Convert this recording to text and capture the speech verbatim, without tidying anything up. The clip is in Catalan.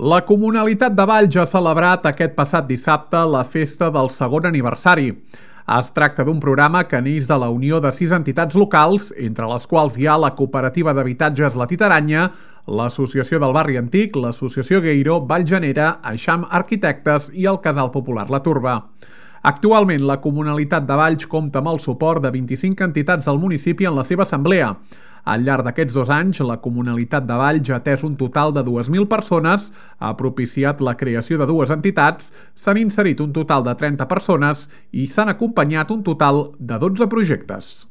La Comunalitat de Valls ha celebrat aquest passat dissabte la festa del segon aniversari. Es tracta d'un programa que neix de la unió de sis entitats locals, entre les quals hi ha la Cooperativa d'Habitatges La Titaranya, l'Associació del Barri Antic, l'Associació Gueiro, Vallgenera, Eixam Arquitectes i el Casal Popular La Turba. Actualment, la Comunalitat de Valls compta amb el suport de vint-i-cinc entitats del municipi en la seva assemblea. Al llarg d'aquests dos anys, la Comunalitat de Valls ha atès un total de dues mil persones, ha propiciat la creació de dues entitats, s'han inserit un total de trenta persones i s'han acompanyat un total de dotze projectes.